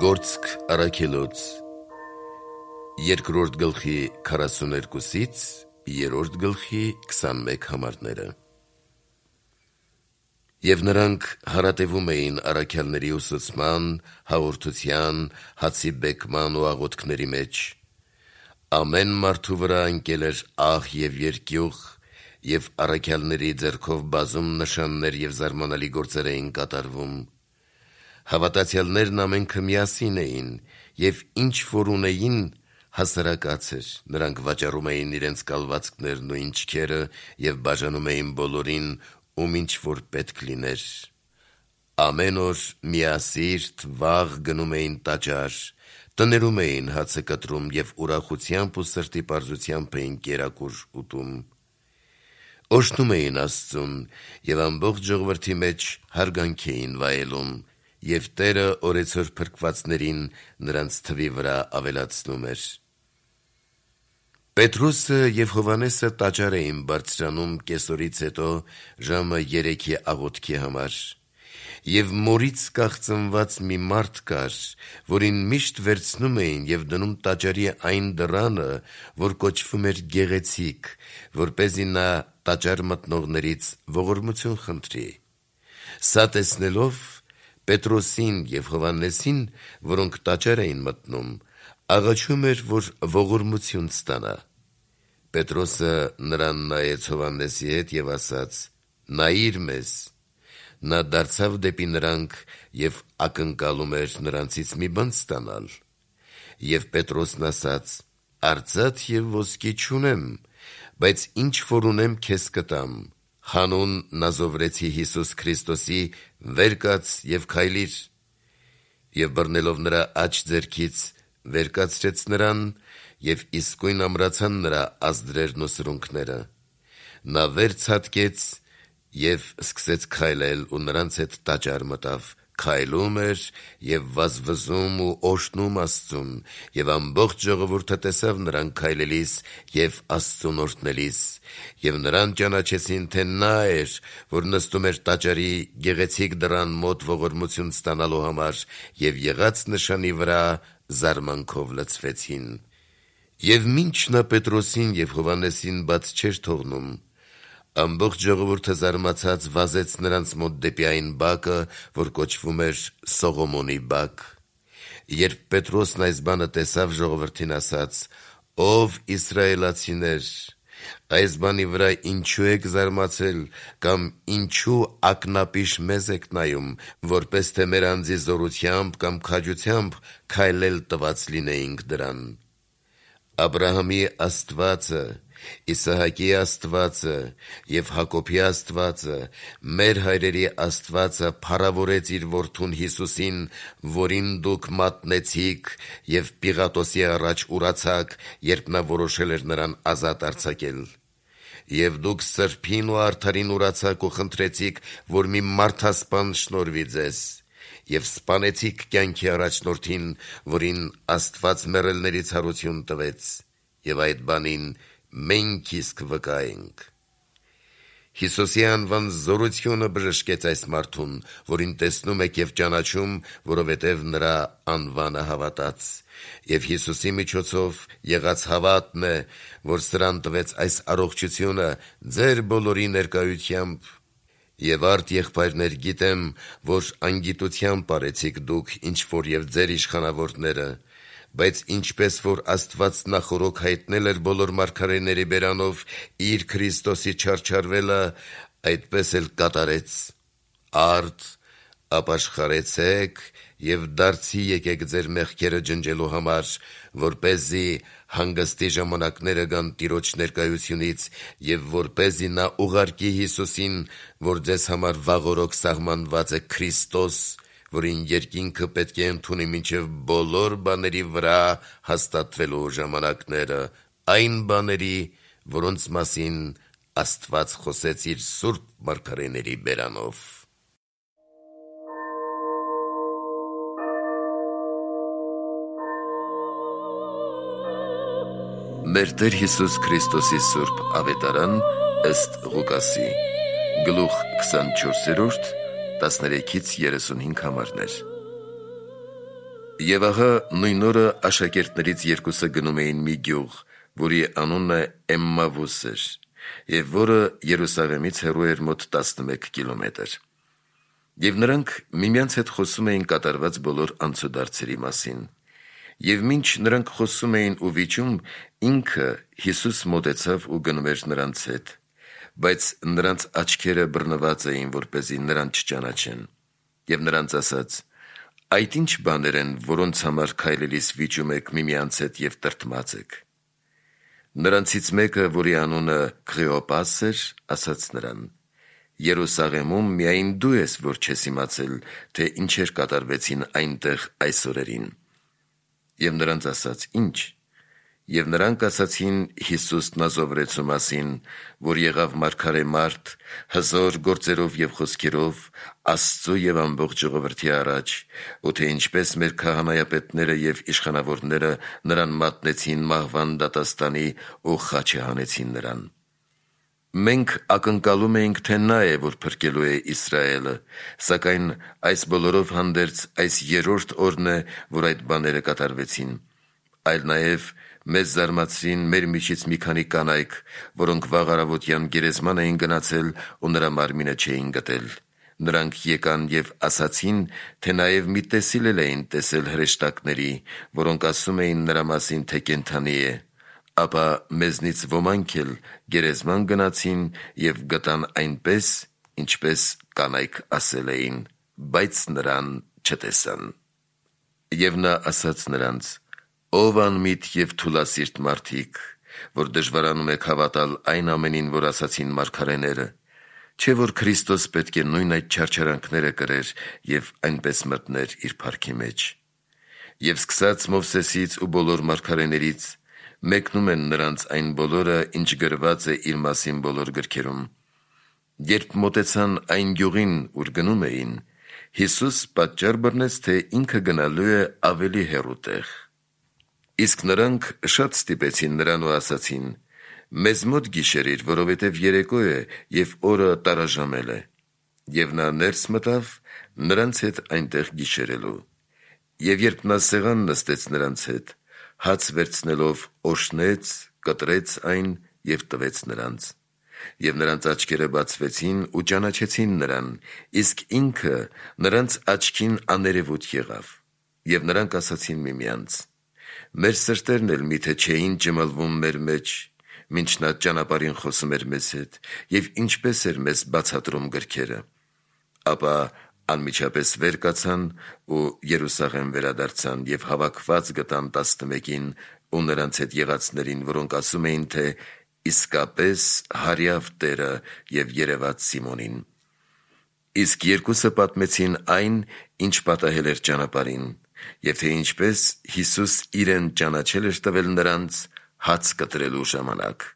Գործք առաքելոց 2-րդ գլխի 42-ից 3-րդ գլխի 21 համարները։ Եվ նրանք հարատևում էին առաքյալների ուսուցման, հաղորդության, հացի բեկման ու աղոթքների մեջ։ Ամեն մարդու վրա ընկել էր ահ և երկյուղ, և առաքյալների ձեռքով բազում նշաններ և զարմանալի գործեր էին կատարվում։ Հավատացյալներն ամենքը միասին էին, և ինչ որ ունեին, հասարակած էր, նրանք վաճառում էին իրենց կալվածքներն ու ինչքերը և բաժանում էին բոլորին, ում ինչ որ պետք լիներ։ Ամեն օր միասիրտ վաղ գնում էին տաճար, տներում էին հացը կտրում և ուրախությամբ ու սրտի պարզությամբ էին կերակուր ուտում։ Օրհնում էին Աստծուն և ամբողջ ժողովրդի մեջ հարգանք էին վայելում, և Տերը օրեցօր փրկվածներին նրանց թվի վրա ավելացնում էր։ Պետրոսը և Հովհաննեսը տաճար էին բարձրանում կեսօրից հետո ժամը 3-ի աղոթքի համար։ Եվ մորից կաղծնված մի մարդ կար, որին միշտ վերցնում էին և դնում տաճարի այն դռանը, որ կոչվում էր Գեղեցիկ, որպեսզի նա տաճար մտնողներից ողորմություն խնդրի։ Սա տեսնելով, Պետրոսին և Հովհաննեսին, որոնք տաճար էին մտնում, աղաչում էր, որ ողորմություն ստանա։ Պետրոսը նրան նայեց Հովհաննեսի հետ և ասաց. «Նայիր մեզ»։ Նա դարձավ դեպի նրանք և ակնկալում էր նրանցից մի բան ստանալ։ Եվ Պետրոսն ասաց. «Արծաթ և ոսկի չունեմ, բայց ինչ որ ունեմ քեզ կտամ. հանուն Նազովրեցի Հիսուս Քրիստոսի վեր կաց և քայլիր»։ Եվ բռնելով նրա աջ ձեռքից վեր կացրեց նրան, և իսկույն ամրացան նրա ազդրերն ու սրունքները։ Նա վեր ցատկեց և սկսեց քայլել ու նրանց հետ տաճար մտավ, քայլում էր և վազվզում ու օրհնում Աստծուն, և ամբողջ ժողովուրդը տեսավ նրան քայլելիս և Աստծուն օրհնելիս, և նրան ճանաչեցին, թե նա էր, որ նստում էր տաճարի գեղեցիկ դռան մոտ ողորմություն ստանալու համար, և եղած նշանի վրա զարմանքով լցվեցին։ Եվ մինչ նա Պետրոսին և Հովհաննեսին բաց չէր թողնում, ամբողջ ժողովուրդը զարմացած վազեց նրանց մոտ դեպի այն բակը, որ կոչվում էր Սողոմոնի բակ։ Երբ Պետրոսն այս բանը տեսավ, ժողովրդին ասաց. «Ով իսրայելացիներ, այս բանի վրա ինչու եք զարմացել, կամ ինչու ակնապիշ մեզ եք նայում, որպես թե մեր անձի զորությամբ կամ քաջությամբ քայլել տված լինեինք դրան։ Աբրահամի Աստվածը, Իսահակի Աստվածը և Հակոբի Աստվածը, մեր հայրերի Աստվածը փառավորեց իր որդուն Հիսուսին, որին դուք մատնեցիք և Պիղատոսի առաջ ուրացաք, երբ նա որոշել էր նրան ազատ արձակել։ Եվ դուք սրբին ու արդարին ուրացաք ու խնդրեցիք, որ մի մարդասպան շնորհվի ձեզ, և սպանեցիք կյանքի առաջնորդին, որին Աստված մեռելներից հարություն տվեց, և այդ բանին մենք իսկ վկա ենք։ Հիսուսի անվան զորությունը բժշկեց այս մարդուն, որին տեսնում եք և ճանաչում, որովհետև նրա անվանը հավատաց։ Եվ Հիսուսի միջոցով եղած հավատն է, որ սրան տվեց այս առողջությունը ձեր բոլորի ներկայությամբ։ Եվ արդ եղբայրներ, գիտեմ, որ անգիտությամբ արեցիք դուք ինչ որ և ձեր իշխանավորները, բայց ինչպես որ Աստված նախօրոք հայտնել էր բոլոր մարգարեների բերանով իր Քրիստոսի չարչարվելը, այդպես էլ կատարեց։ Արդ ապաշխարեցեք և դարձի եկեք ձեր մեղքերը ջնջելու համար, որպեսզի հանգստի ժամանակները գան Տիրոջ ներկայությունից, և որպեսզի նա ուղարկի Հիսուսին, որ ձեզ համար վաղօրոք սահմանված է Քրիստոս, որին երկինքը պետք է ընդունի մինչև բոլոր բաների վրա հաստատվելու ժամանակները, այն բաների, որոնց մասին Աստված խոսեց իր սուրբ մարգարեների բերանով։ Մեր Տեր Հիսուս Քրիստոսի սուրբ ավետարան ըստ Ղուկասի, գլուխ 24, 13-ից 35 համարներ։ Եվ ահա նույն օրը աշակերտներից երկուսը գնում էին մի գյուղ, որի անունը Էմմավուս էր, և որը Երուսաղեմից հեռու էր մոտ 11 կիլոմետր։ Եվ նրանք միմյանց հետ խոսում էին կատարված բոլոր անցուդարձերի մասին։ Եվ մինչ նրանք խոսում էին ու վիճում, ինքը Հիսուս մոտեցավ ու գնում էր նրանց հետ, բայց նրանց աչքերը բռնված էին, որպեսզի նրան չճանաչեն։ Եվ նրանց ասաց. «Այդ ինչ բաներ են, որոնց համար քայլելիս վիճում եք միմյանց հետ և տրտմած եք»։ Նրանցից մեկը, որի անունը Քղեոպաս էր, ասաց նրան. «Երուսաղեմում միայն դու ես, որ չես իմացել, թե ինչեր կատարվեցին այնտեղ այս օրերին»։ Եվ նրանց ասաց. «Ի՞նչ»։ Եվ նրանք ասացին Հիսուս Նազովրեցու մասին, որ եղավ մարգարե մարդ, հզոր գործերով և խոսքերով, Աստծու և ամբողջ ժողովրդի առաջ, ու թե ինչպես մեր քահանայապետները և իշխանավորները նրան մատնեցին մահվան դատաստանի ու խաչը հանեցին նրան։ Մենք ակնկալում էինք, թե նա է, որ փրկելու է Իսրայելը, սակայն այս բոլորով հանդերձ այս երրորդ օրն է, որ այդ բաները կատարվեցին։ Այլ նաև մեզ զարմացրին մեր միջից մի քանի կանայք, որոնք վաղ առավոտյան գերեզման էին գնացել ու նրա մարմինը չէին գտել։ Նրանք եկան և ասացին, թե նաև մի տեսիլ էլ էին տեսել հրեշտակների, որոնք ասում էին նրա մասին, թե կենդանի է։ Ապա մեզնից ոմանք էլ գերեզման գնացին և գտան այնպես, ինչպես կանայք ասել էին, բայց նրան չտեսան։ Եվ նա ասաց նրանց. «Ով անմիտ և թուլասիրտ մարդիկ, որ դժվարանում եք հավատալ այն ամենին, որ ասացին մարգարեները, չէ՞ որ Քրիստոս պետք է նույն այդ չարչարանքները կրեր և այնպես մտներ իր փառքի մեջ։ Եվ սկսած Մովսեսից ու բոլոր մարգարեներից մեկնում են նրանց այն բոլորը, ինչ գրված է իր մասին բոլոր գրքերում։ Երբ մոտեցան այն գյուղին, ուր գնում էին, Հիսուս պատճառ բռնեց, թե ինքը գնալու է ավելի հեռու տեղ։ Իսկ նրանք շատ ստիպեցին նրան ու ասացին. «Մեզ մոտ գիշերիր, որովհետև երեկո է և օրը տարաժամել է»։ Եվ նա ներս մտավ նրանց հետ այնտեղ գիշերելու։ Եվ երբ նա սեղան նստեց նրանց հետ, հաց վերցնելով օժտեց, կտրեց այն և տվեց նրանց։ Եվ նրանց աչքերը բացվեցին ու ճանաչեցին նրան, իսկ ինքը նրանց աչքին աներևույթ եղավ։ Եվ նրանք ասացին միմյանց. «Մեր սրտերն էլ միթե չէին ջմլվում մեր մեջ, մինչ նա ճանապարհին խոսում էր մեզ հետ, և ինչպես էր մեզ բացատրում գրքերը»։ Ապա անմիջապես վեր կացան ու Երուսաղեմ վերադարձան և հավաքված գտան 11-ին ու նրանց հետ եղածներին, որոնք ասում էին, թե իսկապես հարյավ Տերը և երևաց Սիմոնին։ Իսկ երկուսը պատմեցին այն, ինչ պատահել էր ճանապարհին, և թե ինչպես Հիսուս իրեն ճանաչել էր տվել նրանց հաց կտրելու ժամանակ։